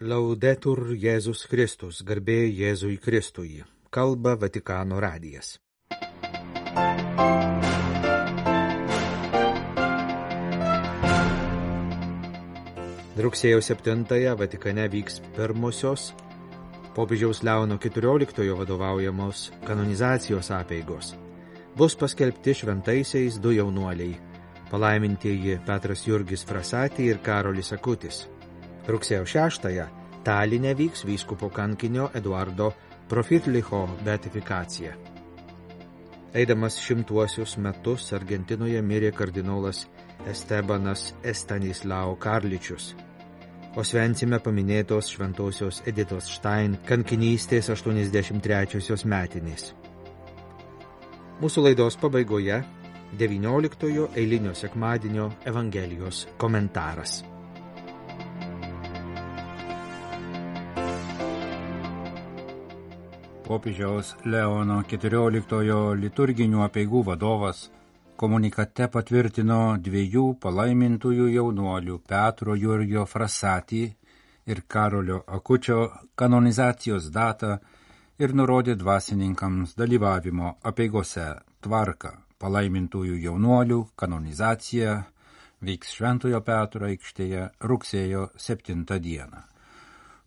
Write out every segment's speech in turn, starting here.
Laudetur Jėzus Kristus, garbė Jėzui Kristui. Kalba Vatikano radijas. Rugsėjo 7-ąją Vatikane vyks pirmosios popiežiaus Leono XIV vadovaujamos kanonizacijos apeigos. Bus paskelbti šventaisiais du jaunuoliai, palaimintieji Petras Jurgis Frasati ir Karolis Akutis. Rugsėjo 6-ąją Taline vyks vyskupo kankinio Eduardo Profitlicho beatifikacija. Eidamas 100 metus Argentinoje mirė kardinolas Estebanas Estanislao Karličius. Osvencime paminėtos šventosios Editos Štain kankinystės 83 metinės. Mūsų laidos pabaigoje 19 eilinio sekmadienio Evangelijos komentaras. Popiežiaus Leono XIV liturginių apeigų vadovas komunikate patvirtino dviejų palaimintųjų jaunuolių Petro Jurgio Frasati ir Karolio Akučio kanonizacijos datą ir nurodė dvasininkams dalyvavimo apeigose tvarką. Palaimintųjų jaunuolių kanonizacija vyks Šventojo Petro aikštėje rugsėjo 7 dieną.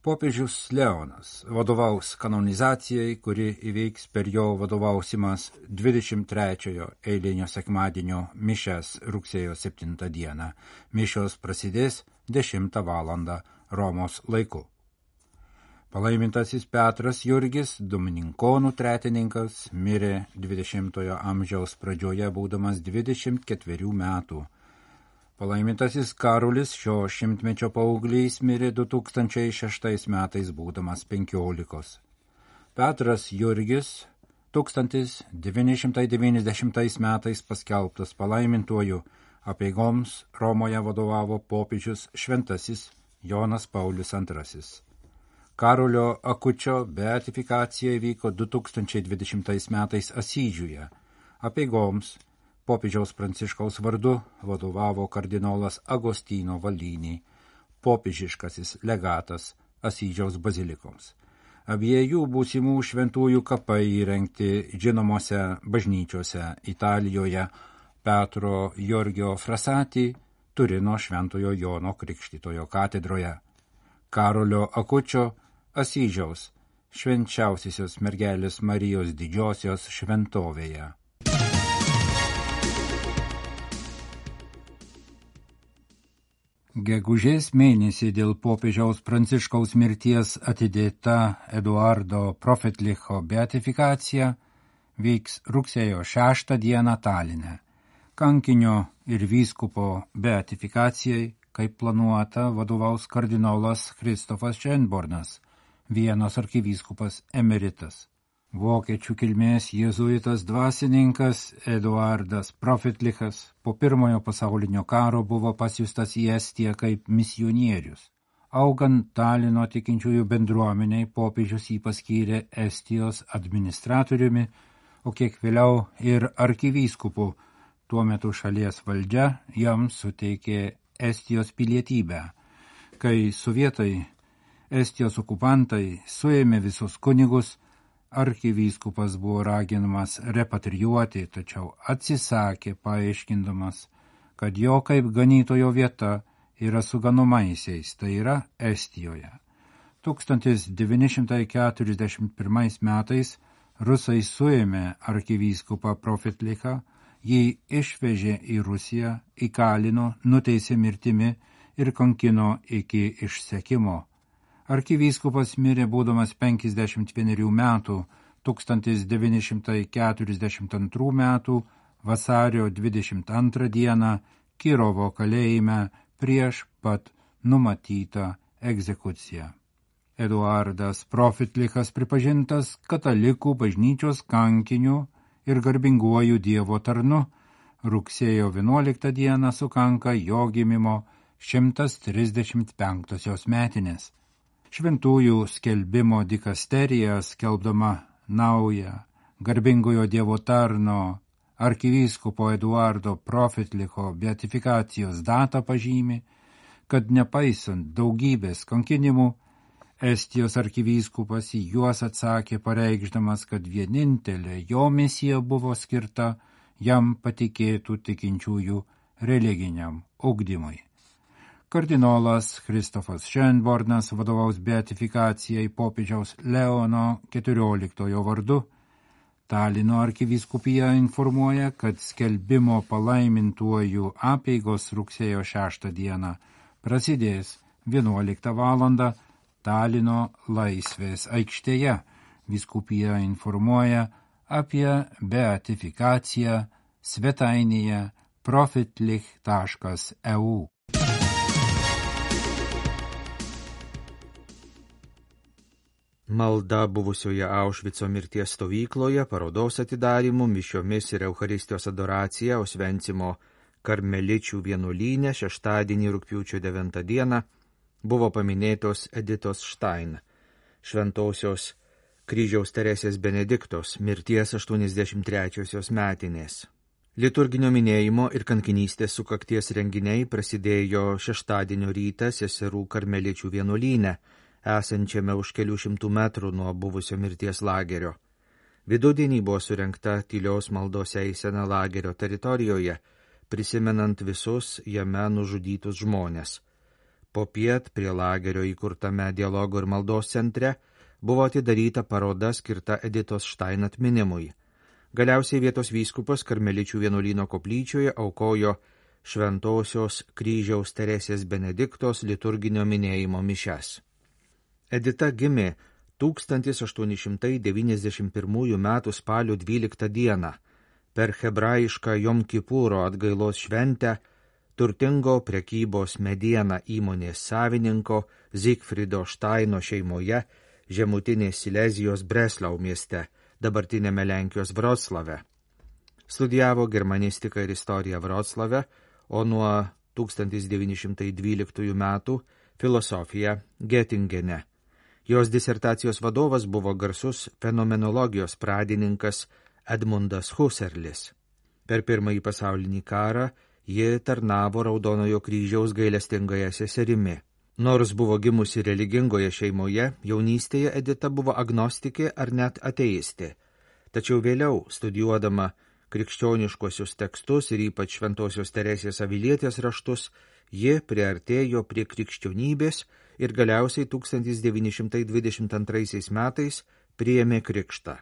Popiežius Leonas vadovaus kanonizacijai, kuri įvyks per jo vadovausimas 23 eilinio sekmadienio mišias rugsėjo 7 dieną. Mišios prasidės 10 valandą Romos laiku. Palaimintasis Petras Jurgis, domininkonų tretininkas, mirė 20 amžiaus pradžioje būdamas 24 metų. Palaimintasis Karolis šio šimtmečio paauglys mirė 2006 metais būdamas 15. Petras Jurgis 1990 metais paskelbtas palaimintuoju, apeigoms Romoje vadovavo popiežius šventasis Jonas Paulius II. Karolio Akučio beatifikacija įvyko 2020 metais Asyžiuje. Apeigoms popiežiaus Pranciškaus vardu vadovavo kardinolas Agostino Valini, popiežiškasis legatas Asyžiaus bazilikoms. Abiejų būsimų šventųjų kapai įrengti žinomose bažnyčiose Italijoje Petro Jurgio Frasati, Turino Šventojo Jono Krikštytojo katedroje, Karolio Akučio Asyžiaus švenčiausiosios mergelės Marijos didžiosios šventovėje. Gegužės mėnesį dėl popiežiaus Pranciškaus mirties atidėta Eduardo Profitlicho beatifikacija vyks rugsėjo 6 dieną Taline. Kankinio ir vyskupo beatifikacijai, kaip planuota, vadovaus kardinolas Kristofas Schönbornas, Vienos arkivyskupas emeritas. Vokiečių kilmės jėzuitas dvasininkas Eduardas Profitlichas po Pirmojo pasaulinio karo buvo pasiųstas į Estiją kaip misionierius. Augant Talino tikinčiųjų bendruomeniai, popiežius jį paskyrė Estijos administratoriumi, o kiek vėliau ir arkivyskupu. Tuo metu šalies valdžia jam suteikė Estijos pilietybę. Kai sovietai, Estijos okupantai suėmė visus kunigus, arkivyskupas buvo raginamas repatrijuoti, tačiau atsisakė, paaiškindamas, kad jo kaip ganytojo vieta yra su ganomaisiais, tai yra Estijoje. 1941 metais rusai suėmė arkivyskupą Profitlichą, jį išvežė į Rusiją, įkalino, nuteisė mirtimi ir kankino iki išsekimo. Arkivyskupas mirė būdamas 51 metų 1942 metų vasario 22 dieną Kirovo kalėjime prieš pat numatytą egzekuciją. Eduardas Profitlichas pripažintas katalikų bažnyčios kankiniu ir garbinguoju Dievo tarnu. Rugsėjo 11 dieną sukanka jo gimimo 135 metinės. Šventųjų skelbimo dikasterija, skelbdama naują garbingojo Dievo tarno arkivyskupo Eduardo Profitlicho beatifikacijos datą pažymi, kad nepaisant daugybės kankinimų, Estijos arkivyskupas į juos atsakė pareikšdamas, kad vienintelė jo misija buvo skirta jam patikėtų tikinčiųjų religiniam ugdymui. Kardinolas Kristofas Schönbornas vadovaus beatifikacijai popiežiaus Leono XIV vardu. Talino arkivyskupija informuoja, kad skelbimo palaimintuoju apeigos rugsėjo 6 dieną prasidės 11 valandą Talino Laisvės aikštėje. Vyskupija informuoja apie beatifikaciją svetainėje profitlich.eu. Malda buvusioje Aušvico mirties stovykloje, parodos atidarymu, mišiomis ir Eucharistijos adoracija Osvencimo karmeličių vienuolyne šeštadienį rugpjūčio 9 dieną buvo paminėtos Editos Štain, šventosios Kryžiaus Teresės Benediktos mirties 83-osios metinės. Liturginio minėjimo ir kankinystės sukakties renginiai prasidėjo šeštadienio rytą seserų karmeličių vienuolyne, esančiame už kelių šimtų metrų nuo buvusio mirties lagerio. Vidudienį buvo surengta tylios maldos eisena lagerio teritorijoje, prisimenant visus jame nužudytus žmones. Popiet prie lagerio įkurtame dialogo ir maldos centre buvo atidaryta paroda skirta Editos Štain atminimui. Galiausiai vietos vyskupas karmeličių vienuolyno koplyčioje aukojo šventosios Kryžiaus Teresės Benediktos liturginio minėjimo mišias. Edita gimė 1891 m. spalio 12 dieną per hebrajišką Jom Kipuro atgailos šventę turtingo prekybos mediena įmonės savininko Zigfrido Štaino šeimoje žemutinės Silezijos Breslau mieste, dabartinėme Lenkijos Vroclave. Studijavo germanistiką ir istoriją Vroclave, o nuo 1912 metų filosofiją Getingene. Jos disertacijos vadovas buvo garsus fenomenologijos pradininkas Edmundas Husserlis. Per Pirmąjį pasaulinį karą ji tarnavo Raudonojo kryžiaus gailestingąją seserimi. Nors buvo gimusi religingoje šeimoje, jaunystėje Edita buvo agnostikė ar net ateistė. Tačiau vėliau, studijuodama krikščioniškuosius tekstus ir ypač Šventosios Teresės Avilietės raštus, ji priartėjo prie krikščionybės ir galiausiai 1922 metais priėmė krikštą.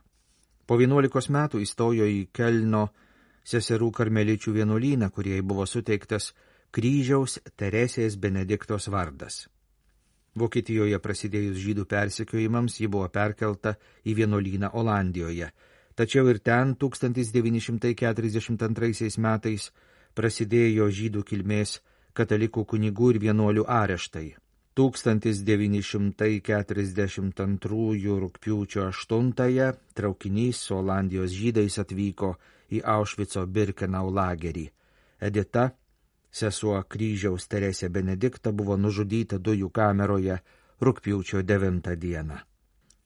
Po 11 metų įstojo į Kelno seserų karmeličių vienuolyną, kuriai buvo suteiktas Kryžiaus Teresės Benediktos vardas. Vokietijoje prasidėjus žydų persekiojimams ji buvo perkelta į vienuolyną Olandijoje, tačiau ir ten 1942 metais prasidėjo žydų kilmės katalikų kunigų ir vienuolių areštai. 1942 rugpjūčio 8 traukinys su Olandijos žydais atvyko į Aušvico Birkenau lagerį. Edita, sesuo Kryžiaus Teresė Benedikta, buvo nužudyta dujų kameroje rugpjūčio 9 dieną.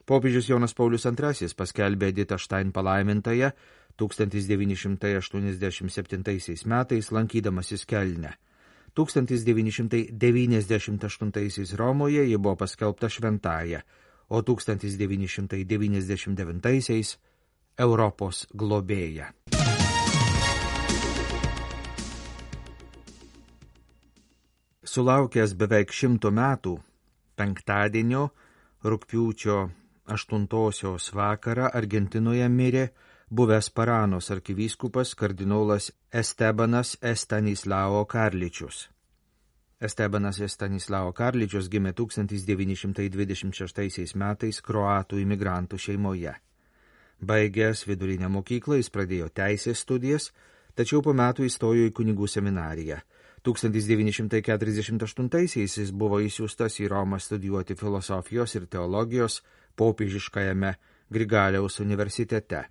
Popiežius Jonas Paulius II paskelbė Editą Štain palaimintąją 1987 metais lankydamasis Kelne. 1998 Romoje ji buvo paskelbta šventąja, o 1999 Europos globėja. Sulaukęs beveik 100 metų, penktadienio rugpjūčio 8 vakarą Argentinoje mirė buvęs Paranos arkivyskupas kardinolas Estebanas Estanislao Karličius. Estebanas Estanislao Karličius gimė 1926 metais kroatų imigrantų šeimoje. Baigęs vidurinę mokyklą jis pradėjo teisės studijas, tačiau po metų įstojo į kunigų seminariją. 1948 jis buvo įsiųstas į Romą studijuoti filosofijos ir teologijos popiežiškajame Grigaliaus universitete.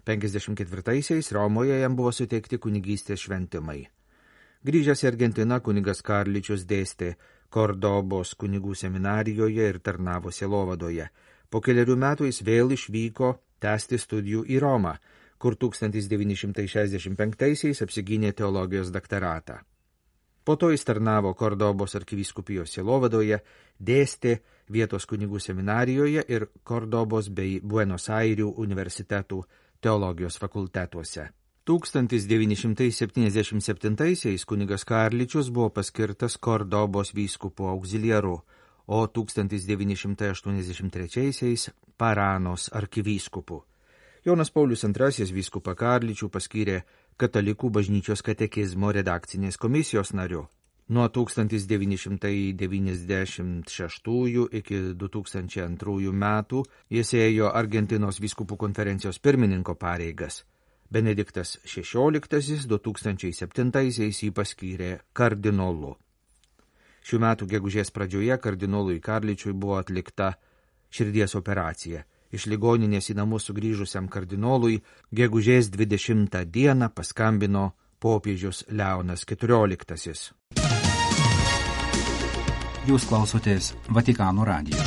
54 Romoje jam buvo suteikti kunigystės šventimai. Grįžęs į Argentiną, kunigas Karličius dėstė Kordobos kunigų seminarijoje ir tarnavo sielovadoje. Po keliarių metų jis vėl išvyko tęsti studijų į Romą, kur 1965 apsigynė teologijos daktaratą. Po to jis tarnavo Kordobos arkivyskupijos sielovadoje, dėstė vietos kunigų seminarijoje ir Kordobos bei Buenos Airių universitetų teologijos fakultetuose. 1977 kunigas Karličius buvo paskirtas Kordobos vyskupo auxiliaru, o 1983 Paranos arkivyskupu. Jonas Paulius II vyskupą Karličių paskyrė Katalikų bažnyčios katekizmo redakcinės komisijos nariu. Nuo 1996 iki 2002 metų jis ėjo Argentinos vyskupų konferencijos pirmininko pareigas. Benediktas XVI 2007 jį paskyrė kardinolu. Šių metų gegužės pradžioje kardinolui Karličiui buvo atlikta širdies operacija. Iš ligoninės į namus sugrįžusiam kardinolui gegužės 20 dieną paskambino popiežius Leonas XIV. Jūs klausotės Vatikano radijo.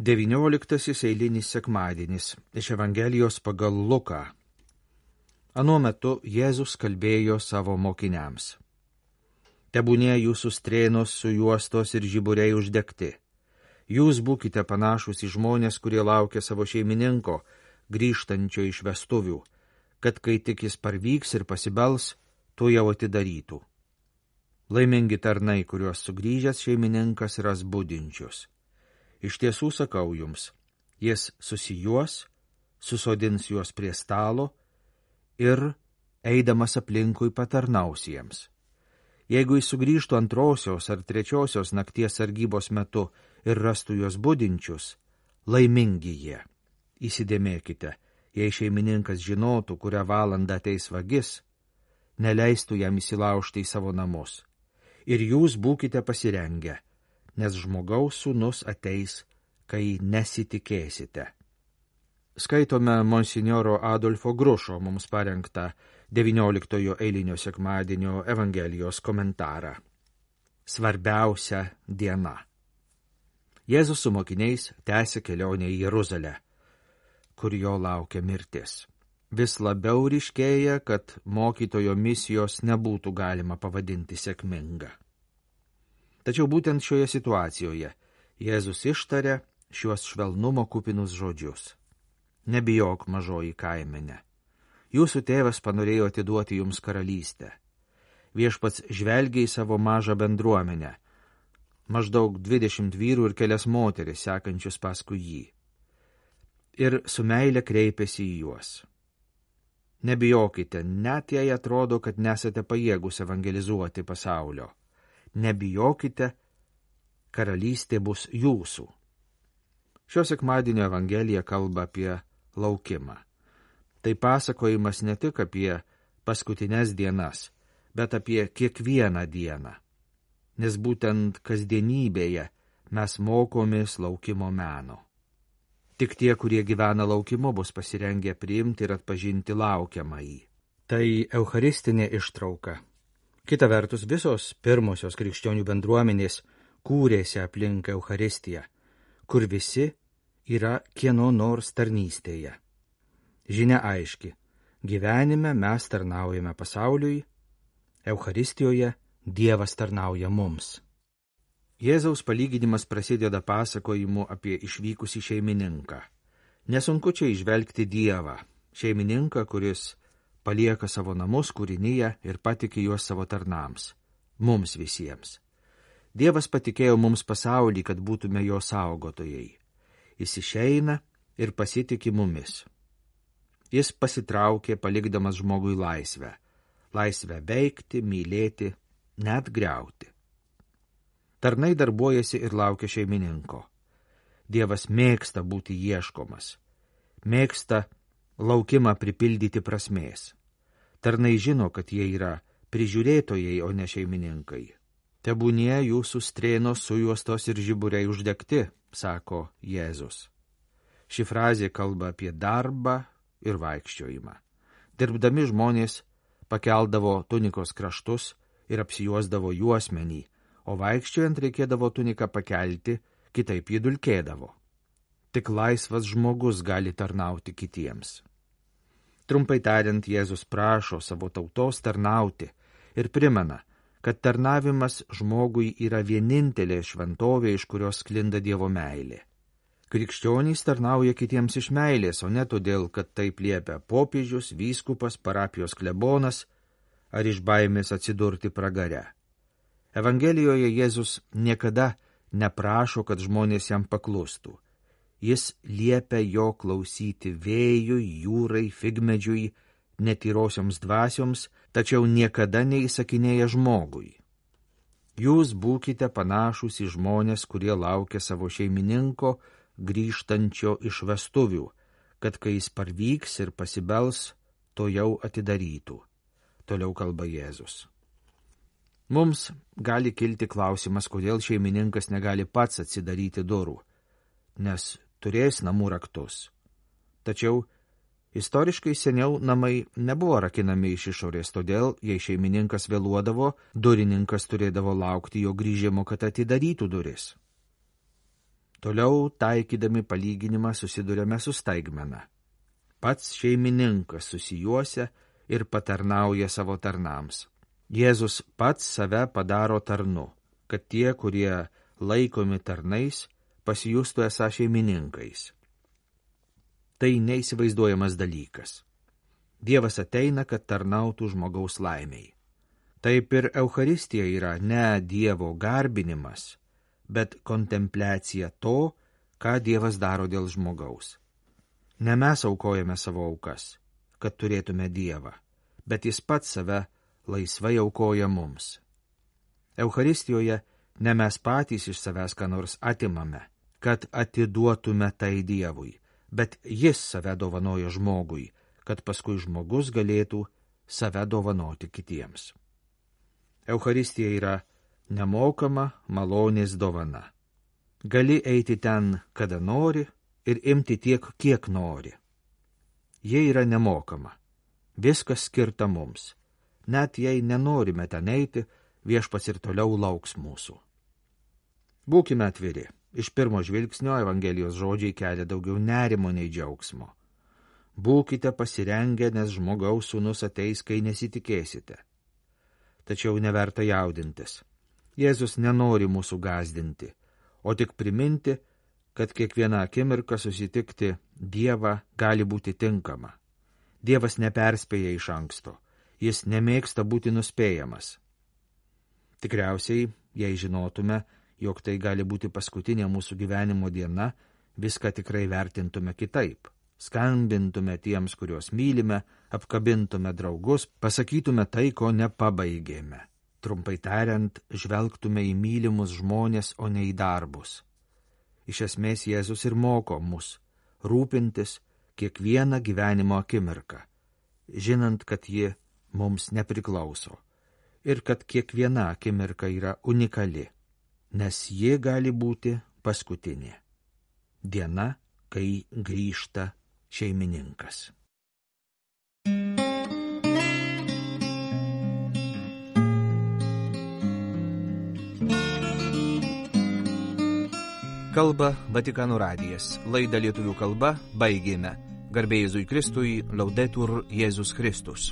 XIX eilinis sekmadienis iš Evangelijos pagal Luką. Anuo metu Jėzus kalbėjo savo mokiniams. Tebūnie jūsų strėnos sujuostos ir žiburiai uždegti. Jūs būkite panašus į žmonės, kurie laukia savo šeimininko, grįžtančio iš vestuvių, kad kai tik jis parvyks ir pasibels, to jau atidarytų. Laimingi tarnai, kuriuos sugrįžęs šeimininkas ras budinčius. Iš tiesų sakau jums, jis susijuos, susodins juos prie stalo ir, eidamas aplinkui, patarnaus jiems. Jeigu jis sugrįžtų antrosios ar trečiosios nakties sargybos metu ir rastų juos budinčius, laimingi jie. Įsidėmėkite, jei šeimininkas žinotų, kurią valandą ateis vagis, neleistų jam įsilaužti į savo namus. Ir jūs būkite pasirengę, nes žmogaus sūnus ateis, kai nesitikėsite. Skaitome monsinjoro Adolfo Grušo mums parengtą 19 eilinio sekmadienio Evangelijos komentarą. Svarbiausia diena. Jėzus su mokiniais tęsė kelionę į Jeruzalę, kur jo laukia mirtis. Vis labiau ryškėja, kad mokytojo misijos nebūtų galima pavadinti sėkminga. Tačiau būtent šioje situacijoje Jėzus ištarė šiuos švelnumo kupinus žodžius. Nebijok, mažoji kaimenė. Jūsų tėvas panorėjo atiduoti jums karalystę. Viešpats žvelgia į savo mažą bendruomenę, maždaug 20 vyrų ir kelias moteris sekančius paskui jį. Ir su meile kreipėsi į juos. Nebijokite, net jei atrodo, kad nesate pajėgus evangelizuoti pasaulio. Nebijokite, karalystė bus jūsų. Šio sekmadienio Evangelija kalba apie laukimą. Tai pasakojimas ne tik apie paskutines dienas, bet apie kiekvieną dieną. Nes būtent kasdienybėje mes mokomės laukimo meno. Tik tie, kurie gyvena laukimu, bus pasirengę priimti ir atpažinti laukiamąjį. Tai eucharistinė ištrauka. Kita vertus, visos pirmosios krikščionių bendruomenės kūrėsi aplink Eucharistiją, kur visi yra kieno nors tarnystėje. Žinia aiški, gyvenime mes tarnaujame pasauliui, Eucharistijoje Dievas tarnauja mums. Jėzaus palyginimas prasideda pasakojimu apie išvykusį šeimininką. Nesunku čia įžvelgti Dievą, šeimininką, kuris palieka savo namus kūrinyje ir patikė juos savo tarnams, mums visiems. Dievas patikėjo mums pasaulį, kad būtume jo saugotojai. Jis išeina ir pasitiki mumis. Jis pasitraukė, palikdamas žmogui laisvę. Laisvę veikti, mylėti, net griauti. Tarnai darbuojasi ir laukia šeimininko. Dievas mėgsta būti ieškomas. Mėgsta laukimą pripildyti prasmės. Tarnai žino, kad jie yra prižiūrėtojai, o ne šeimininkai. Tebūnie jūsų strėnos sujuostos ir žiburiai uždegti, sako Jėzus. Ši frazė kalba apie darbą ir vaikščiojimą. Dirbdami žmonės pakeldavo tunikos kraštus ir apsijuosdavo juosmenį, o vaikščiojant reikėdavo tuniką pakelti, kitaip jį dulkėdavo. Tik laisvas žmogus gali tarnauti kitiems. Trumpai tariant, Jėzus prašo savo tautos tarnauti ir primena, kad tarnavimas žmogui yra vienintelė šventovė, iš kurios sklinda Dievo meilė. Krikščionys tarnauja kitiems iš meilės, o ne todėl, kad taip liepia popiežius, vyskupas, parapijos klebonas ar iš baimės atsidurti pragare. Evangelijoje Jėzus niekada neprašo, kad žmonės jam paklustų. Jis liepia jo klausyti vėjui, jūrai, figmedžiui, netyrosioms dvasioms, tačiau niekada neįsakinėja žmogui. Jūs būkite panašūs į žmonės, kurie laukia savo šeimininko grįžtančio iš vestuvių, kad kai jis parvyks ir pasibels, to jau atidarytų. Toliau kalba Jėzus. Mums gali kilti klausimas, kodėl šeimininkas negali pats atsidaryti durų, nes turės namų raktus. Tačiau istoriškai seniau namai nebuvo rakinami iš išorės, todėl, jei šeimininkas vėluodavo, durininkas turėdavo laukti jo grįžimo, kad atidarytų duris. Toliau, taikydami palyginimą, susidurėme su staigmena. Pats šeimininkas susijuosia ir patarnauja savo tarnams. Jėzus pats save padaro tarnu, kad tie, kurie laikomi tarnais, pasijustų esą šeimininkais. Tai neįsivaizduojamas dalykas. Dievas ateina, kad tarnautų žmogaus laimiai. Taip ir Eucharistija yra ne Dievo garbinimas, bet kontempliacija to, ką Dievas daro dėl žmogaus. Ne mes aukojame savo aukas, kad turėtume Dievą, bet jis pats save laisvai aukoja mums. Eucharistijoje ne mes patys iš savęs ką nors atimame, kad atiduotume tai Dievui, bet jis save dovanoja žmogui, kad paskui žmogus galėtų save dovanoti kitiems. Eucharistija yra nemokama malonės dovana. Gali eiti ten, kada nori, ir imti tiek, kiek nori. Jie yra nemokama. Viskas skirta mums. Net jei nenorime ten eiti, Viešpats ir toliau lauks mūsų. Būkime atviri. Iš pirmo žvilgsnio Evangelijos žodžiai kelia daugiau nerimo nei džiaugsmo. Būkite pasirengę, nes žmogaus sūnus ateis, kai nesitikėsite. Tačiau neverta jaudintis. Jėzus nenori mūsų gąsdinti, o tik priminti, kad kiekvieną akimirką susitikti Dievą gali būti tinkama. Dievas neperspėja iš anksto, jis nemėgsta būti nuspėjamas. Tikriausiai, jei žinotume, jog tai gali būti paskutinė mūsų gyvenimo diena, viską tikrai vertintume kitaip. Skambintume tiems, kuriuos mylime, apkabintume draugus, pasakytume tai, ko nepabaigėme. Trumpai tariant, žvelgtume į mylimus žmonės, o ne į darbus. Iš esmės Jėzus ir moko mus rūpintis kiekvieną gyvenimo akimirką, žinant, kad ji mums nepriklauso ir kad kiekviena akimirka yra unikali, nes ji gali būti paskutinė. Diena, kai grįžta šeimininkas. Kalba Vatikano radijas. Laidą lietuvių kalba baigėme. Garbė Jėzui Kristui, Laudetur Jėzus Kristus.